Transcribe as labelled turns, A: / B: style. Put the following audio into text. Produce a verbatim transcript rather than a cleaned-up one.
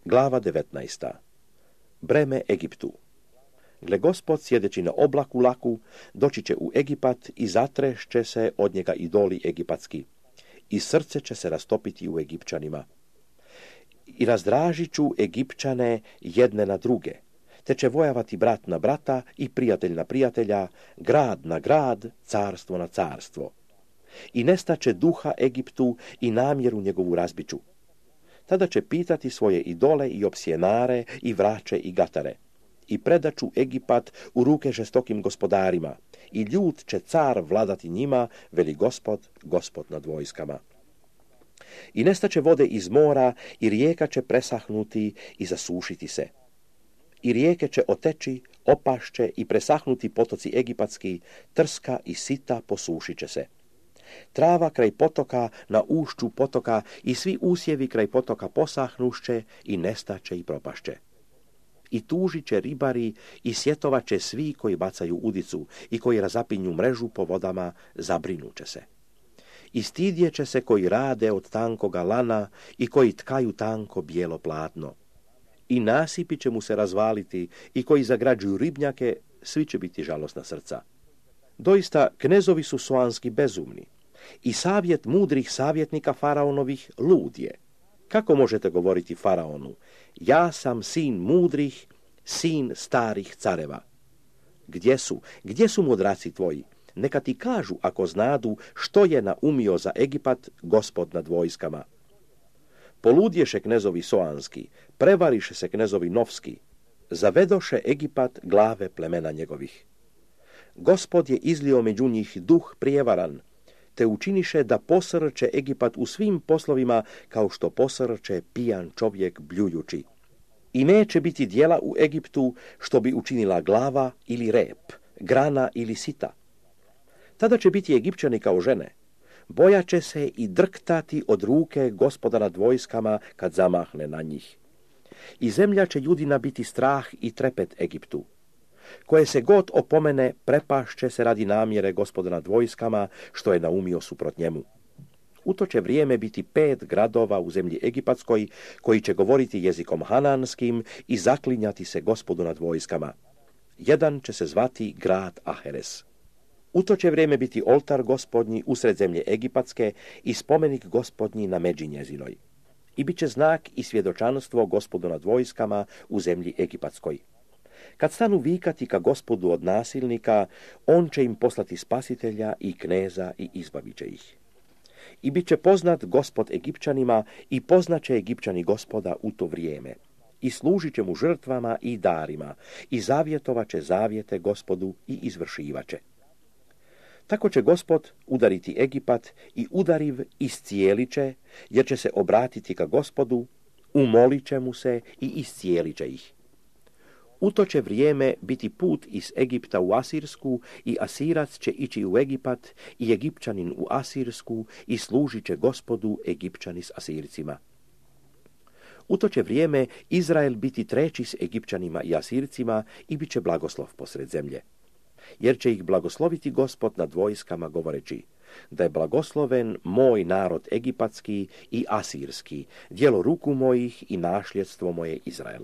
A: Glava devetnaesta. Breme Egiptu. Gle Gospod sjedeći na oblaku laku, doći će u Egipat i zatrešće se od njega idoli egipatski. I srce će se rastopiti u Egipćanima. I razdražit ću Egipćane jedne na druge, te će vojavati brat na brata i prijatelj na prijatelja, grad na grad, carstvo na carstvo. I nestaće duha Egiptu i namjeru njegovu razbiću. Tada će pitati svoje idole i opsjenare i vraće i gatare. I predaću Egipat u ruke žestokim gospodarima, i ljud će car vladati njima, veli Gospod, Gospod nad vojskama. I nestaće vode iz mora, i rijeka će presahnuti i zasušiti se. I rijeke će oteći, opašće i presahnuti potoci egipatski, trska i sita posušit će se. Trava kraj potoka na ušću potoka i svi usjevi kraj potoka posahnušće i nestaće i propašće. I tužit će ribari i sjetovat će svi koji bacaju udicu i koji razapinju mrežu po vodama, zabrinuće se. I stidjet će se koji rade od tankoga lana i koji tkaju tanko bijelo platno. I nasipi će mu se razvaliti i koji zagrađuju ribnjake, svi će biti žalosna srca. Doista, knezovi su soanski bezumni i savjet mudrih savjetnika faraonovih lud je. Kako možete govoriti faraonu? Ja sam sin mudrih, sin starih careva. Gdje su? Gdje su mudraci tvoji? Neka ti kažu ako znadu što je naumio za Egipat Gospod nad vojskama. Poludješe knezovi soanski, prevariše se knezovi novski, zavedoše Egipat glave plemena njegovih. Gospod je izlio među njih duh prijevaran, te učiniše da posrče Egipat u svim poslovima kao što posrče pijan čovjek bljujući. I neće biti djela u Egiptu što bi učinila glava ili rep, grana ili sita. Tada će biti Egipćani kao žene, bojaće se i drktati od ruke Gospoda nad vojskama kad zamahne na njih. I zemlja će ljudina biti strah i trepet Egiptu. Koje se god opomene, prepašće se radi namjere Gospoda nad vojskama, što je naumio suprot njemu. U to će vrijeme biti pet gradova u zemlji egipatskoj, koji će govoriti jezikom hananskim i zaklinjati se Gospodu nad vojskama. Jedan će se zvati grad Aheres. U to će vrijeme biti oltar Gospodnji usred zemlje egipatske i spomenik Gospodnji na međi njezinoj. I bit će znak i svjedočanstvo Gospodu nad vojskama u zemlji egipatskoj. Kad stanu vikati ka Gospodu od nasilnika, on će im poslati spasitelja i kneza i izbavit će ih. I bit će poznat Gospod Egipćanima i poznaće Egipćani Gospoda u to vrijeme. I služit će mu žrtvama i darima i zavjetovat će zavjete Gospodu i izvršivat će. Tako će Gospod udariti Egipat i udariv iscijelit će, jer će se obratiti ka Gospodu, umolit će mu se i iscijelit će ih. U to će vrijeme biti put iz Egipta u Asirsku i Asirac će ići u Egipat i Egipćanin u Asirsku i služit će Gospodu Egipćani s Asircima. U to će vrijeme Izrael biti treći s Egipćanima i Asircima i bit će blagoslov posred zemlje. Jer će ih blagosloviti Gospod nad vojskama govoreći, da je blagosloven moj narod egipatski i asirski, djelo ruku mojih i našljedstvo moje Izrael.